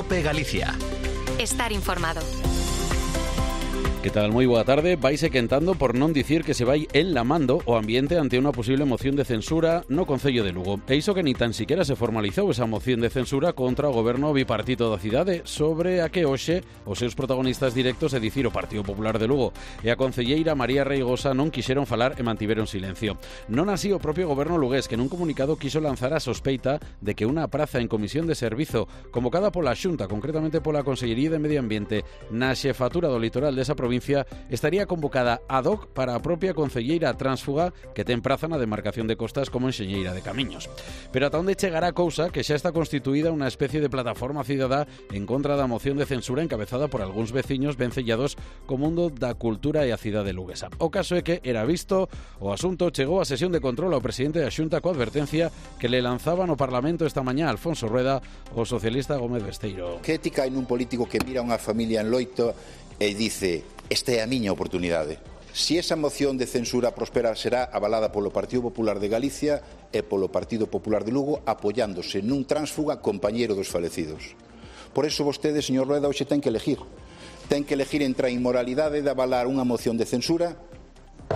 COPE Galicia. Estar informado. Que tal? Moi boa tarde. Vaise quentando por non dicir que se vai enlamando o ambiente ante unha posible moción de censura no Concello de Lugo. E iso que ni tan siquiera se formalizou esa moción de censura contra o goberno bipartito da cidade, sobre a que hoxe os seus protagonistas directos, é dicir, o Partido Popular de Lugo e a concelleira María Reigosa, non quixeron falar e mantiveron silencio. Non así o propio goberno lugués, que nun comunicado quiso lanzar a sospeita de que unha praza en comisión de servizo convocada pola Xunta, concretamente pola Consellería de Medio Ambiente, na xefatura do litoral desa provincia, estaría convocada ad hoc para a propia concelleira tránsfuga que ten praza na demarcación de Costas como enxeñeira de camiños. Pero ata onde chegará a cousa que xa está constituída unha especie de plataforma cidadá en contra da moción de censura encabezada por algúns veciños vencellados co mundo da cultura e a cidade luguesa. O caso é que era visto, o asunto chegou a sesión de control ao presidente da Xunta coa advertencia que le lanzaba no Parlamento esta mañá Alfonso Rueda o socialista Gómez Besteiro. Que ética hai nun político que mira unha familia en loito e dice: esta é a miña oportunidade? Si esa moción de censura prospera, será avalada polo Partido Popular de Galicia e polo Partido Popular de Lugo, apoiándose nun tránsfuga compañeiro dos falecidos. Por eso vostede, señor Rueda, hoxe ten que elegir. Ten que elegir entre a inmoralidade de avalar unha moción de censura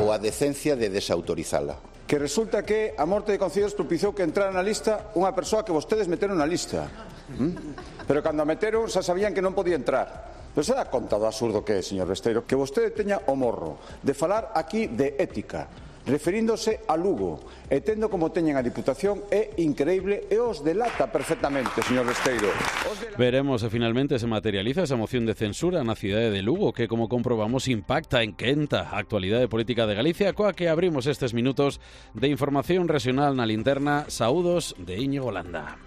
ou a decencia de desautorizala. Que resulta que a morte de Concellos propiciou que entrara na lista unha persoa que vostedes meteron na lista. Pero cando a meteron xa sabían que non podía entrar. Pero se dá conta do absurdo que é, señor Besteiro, que vostede teña o morro de falar aquí de ética, referíndose a Lugo, e tendo como teñen a Diputación, é increíble e os delata perfectamente, señor Besteiro. Veremos se finalmente se materializa esa moción de censura na cidade de Lugo, que, como comprobamos, impacta en quenta a actualidade política de Galicia, coa que abrimos estes minutos de información regional na linterna. Saúdos de Íñigo Landa.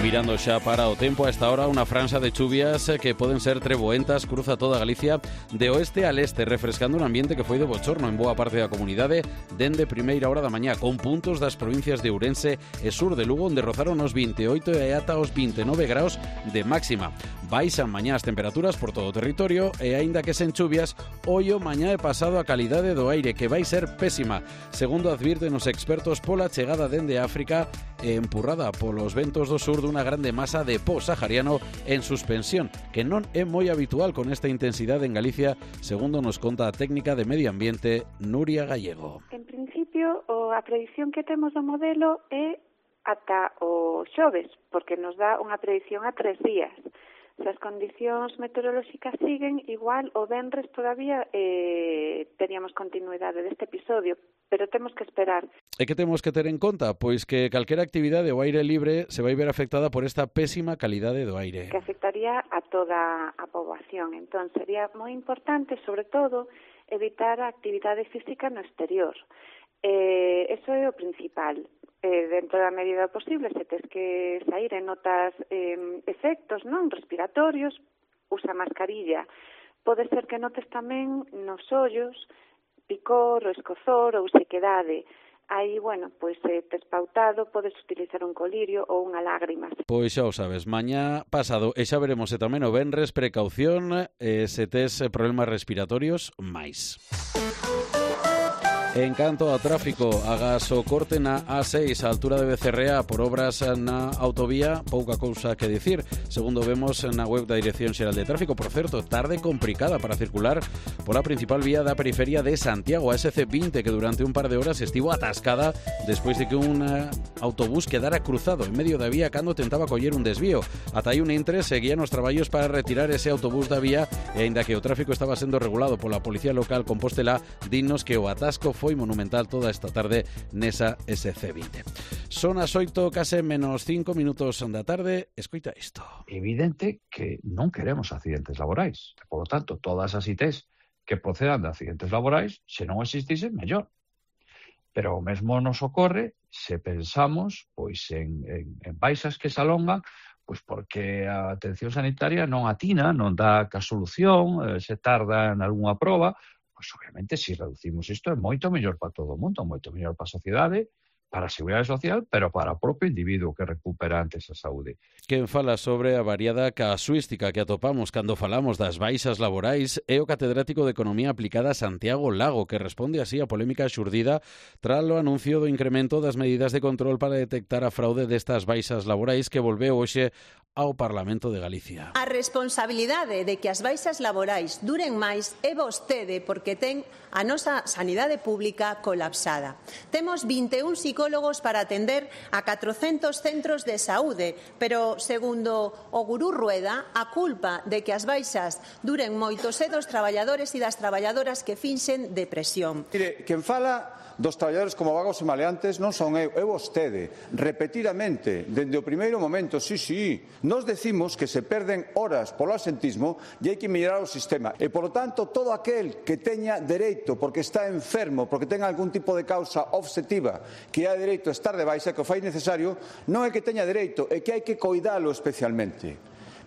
Mirando xa para o tempo, a esta hora unha franxa de chuvias que poden ser treboentas cruza toda Galicia de oeste al este, refrescando un ambiente que foi de bochorno en boa parte da comunidade dende primeira hora da mañá, con puntos das provincias de Ourense e sur de Lugo onde rozaron os 28 e ata os 29 graus de máxima. Baixan mañá as temperaturas por todo o territorio e aínda que sen chuvias, ollo mañá e pasado a calidade do aire, que vai ser pésima, segundo advirten os expertos pola chegada dende África e empurrada polos ventos do sur dunha grande masa de po sahariano en suspensión, que non é moi habitual con esta intensidade en Galicia, segundo nos conta a técnica de medio ambiente Nuria Gallego. En principio, a predicción que temos do modelo é ata o xoves, porque nos dá unha predicción a 3 días. Se as condicións meteorolóxicas siguen, igual o venres todavía teríamos continuidade deste episodio, pero temos que esperar. E que temos que ter en conta? Pois que calquera actividade ao aire libre se vai ver afectada por esta pésima calidade do aire. Que afectaría a toda a poboación. Entón, sería moi importante, sobre todo, evitar a actividade física no exterior. Eso é o principal. Dentro da medida posible, se tes que sair e notas efectos non respiratorios, usa mascarilla. Pode ser que notes tamén nos ollos picor, ou escozor ou sequedade. Aí, bueno, pois tes pautado, podes utilizar un colirio ou unha lágrima. Pois xa o sabes, mañá pasado, e xa veremos se tamén o venres, precaución, se tes problemas respiratorios, máis. En canto ao tráfico, agás o corte na A6 a altura de Becerrea por obras na autovía, pouca cousa que dicir, segundo vemos na web da Dirección Xeral de Tráfico. Por certo, tarde complicada para circular pola principal vía da periferia de Santiago, a SC20, que durante un par de horas estivo atascada despois de que un autobús quedara cruzado en medio da vía cando tentaba coller un desvío. Ata aí un intre seguían os traballos para retirar ese autobús da vía e aínda que o tráfico estaba sendo regulado pola Policía Local Compostela, dinnos que o atasco foi monumental toda esta tarde nesa SC20. Son as 8, case menos 5 minutos da tarde. Escoita isto. É evidente que non queremos accidentes laborais. Por lo tanto, todas as ITs que procedan de accidentes laborais, se non existisen, mellor. Pero o mesmo nos ocorre se pensamos pois en baixas que se alongan, pois porque a atención sanitaria non atina, non dá ca solución, se tarda en algunha proba. Pois obviamente, se reducimos isto, é moito mellor para todo o mundo, moito mellor para a sociedade, para a Seguridade Social, pero para o propio individuo que recupera antes a saúde. Quen fala sobre a variada casuística que atopamos cando falamos das baixas laborais é o catedrático de Economía Aplicada Santiago Lago, que responde así a polémica xurdida tras o anuncio do incremento das medidas de control para detectar a fraude destas baixas laborais que volveu hoxe ao Parlamento de Galicia. A responsabilidade de que as baixas laborais duren máis é vostede porque ten a nosa sanidade pública colapsada. Temos 21 psicólogos para atender a 400 centros de saúde, pero, segundo o gurú Rueda, a culpa de que as baixas duren moito é dos traballadores e das traballadoras que finxen depresión. Mire, quen fala dos traballadores como vagos e maleantes non son eu, é vostede. Repetidamente, dende o primeiro momento, sí, nos decimos que se perden horas polo absentismo e hai que mellorar o sistema. E, polo tanto, todo aquel que teña dereito, porque está enfermo, porque ten algún tipo de causa objetiva, que hai dereito a estar de baixa, que o fai necesario, non é que teña dereito, é que hai que coidalo especialmente.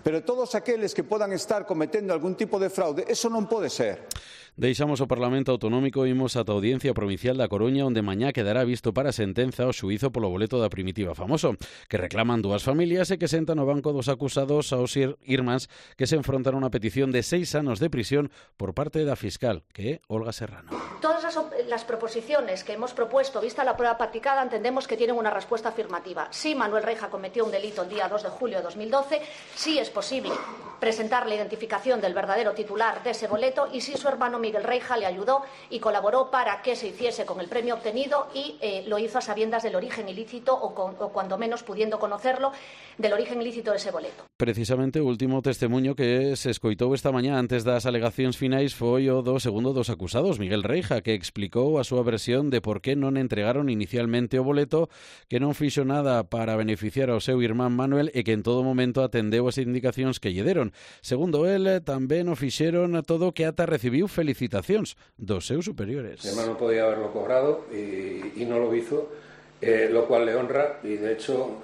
Pero todos aqueles que podan estar cometendo algún tipo de fraude, eso non pode ser. Deixamos o Parlamento Autonómico e imos ata a Audiencia Provincial da Coruña, onde mañá quedará visto para sentenza o xuízo polo boleto da Primitiva Famoso, que reclaman dúas familias e que sentan no banco dos acusados aos irmáns que se enfrontan a unha petición de 6 anos de prisión por parte da fiscal, que é Olga Serrano. Todas las proposiciones que hemos propuesto, vista la prueba practicada, entendemos que tienen una respuesta afirmativa. Sí, Manuel Reija cometió un delito el día 2 de julio de 2012, sí es posible presentar la identificación del verdadero titular de ese boleto y sí su hermano Miguel Reija le ayudó y colaboró para que se hiciese con el premio obtenido y lo hizo a sabiendas del origen ilícito o cuando menos pudiendo conocerlo del origen ilícito de ese boleto. Precisamente o último testemuño que se escoitou esta mañá antes das alegacións finais foi o do segundo dos acusados, Miguel Reija, que explicou a súa versión de por que non entregaron inicialmente o boleto, que non fixo nada para beneficiar ao seu irmán Manuel e que en todo momento atendeu as indicacións que lle deron. Segundo el, tamén o fixeron todo que ata recibiu felicitacións dos seus superiores. Mi hermano podía haberlo cobrado y no lo hizo, lo cual le honra y de hecho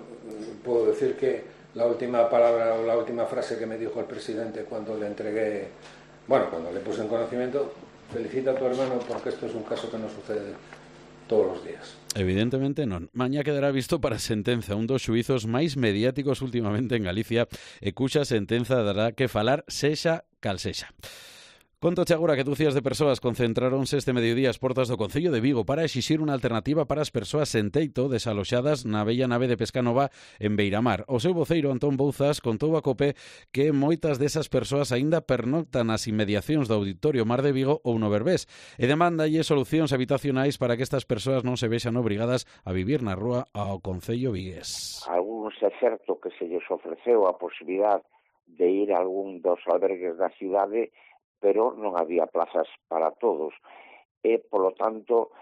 puedo decir que la última palabra o la última frase que me dijo el presidente cuando le entregué, cuando le puse en conocimiento, felicita a tu hermano porque esto es un caso que no sucede todos os días. Evidentemente non. Mañá quedará visto para sentenza, un dos xuizos máis mediáticos últimamente en Galicia e cuxa sentenza dará que falar sexa cal sexa. Contoche agora que dúcias de persoas concentráronse este mediodía ás portas do Concello de Vigo para exixir unha alternativa para as persoas sen teito desaloxadas na bella nave de Pescanova en Beiramar. O seu voceiro Antón Bouzas contou a COPE que moitas desas persoas aínda pernoctan nas inmediacións do Auditorio Mar de Vigo ou no Berbés e demandalle solucións habitacionais para que estas persoas non se vexan obrigadas a vivir na rúa ao Concello vigués. Algúns é certo que se lles ofreceu a posibilidade de ir a algún dos albergues da cidade, pero non había plazas para todos. E, polo tanto,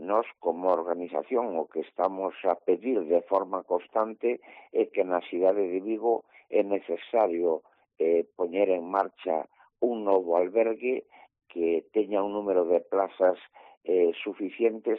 nós, como organización, o que estamos a pedir de forma constante é que na cidade de Vigo é necesario poñer en marcha un novo albergue que teña un número de plazas suficientes.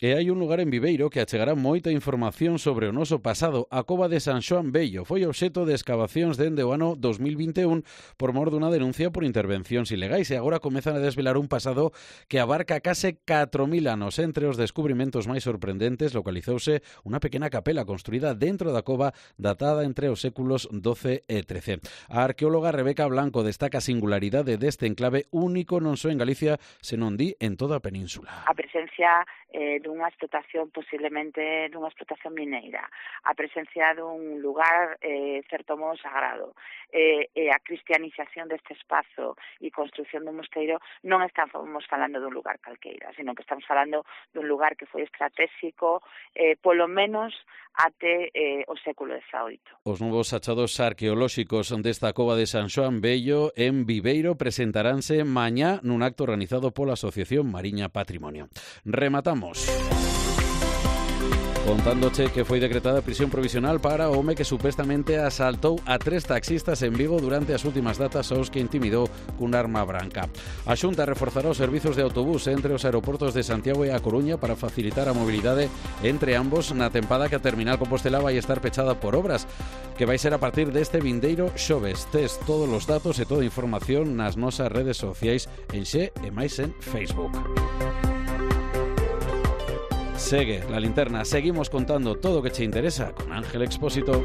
E hai un lugar en Viveiro que achegará moita información sobre o noso pasado. A cova de San Xoán Bello foi obxeto de escavacións dende o ano 2021 por mor dunha denuncia por intervencións ilegais e agora comezan a desvelar un pasado que abarca case 4.000 anos. Entre os descubrimentos máis sorprendentes localizouse unha pequena capela construída dentro da cova datada entre os séculos XII e XIII. A arqueóloga Rebeca Blanco destaca a singularidade deste enclave único non só en Galicia, senón di en toda a península. A presencia dunha explotación, posiblemente dunha explotación mineira, a presencia dun lugar certo modo sagrado, e a cristianización deste espazo e construción dun mosteiro, non estamos falando dun lugar calqueira, sino que estamos falando dun lugar que foi estratégico, polo menos até o século XVIII. Os novos achados arqueolóxicos desta cova de San Xoán Bello en Viveiro presentaránse mañá nun acto organizado pola Asociación Mariña Patrimonio. Rematamos contándoche que foi decretada prisión provisional para o home que supostamente asaltou a 3 taxistas en Vigo durante as últimas datas aos que intimidou cun arma branca. A Xunta reforzará os servizos de autobús entre os aeroportos de Santiago e A Coruña para facilitar a mobilidade entre ambos na tempada que a terminal Compostela vai estar pechada por obras, que vai ser a partir deste vindeiro xoves. Tes todos os datos e toda a información nas nosas redes sociais en Xe e máis en Facebook. Segue La Linterna, seguimos contando todo o que che interesa con Ángel Expósito.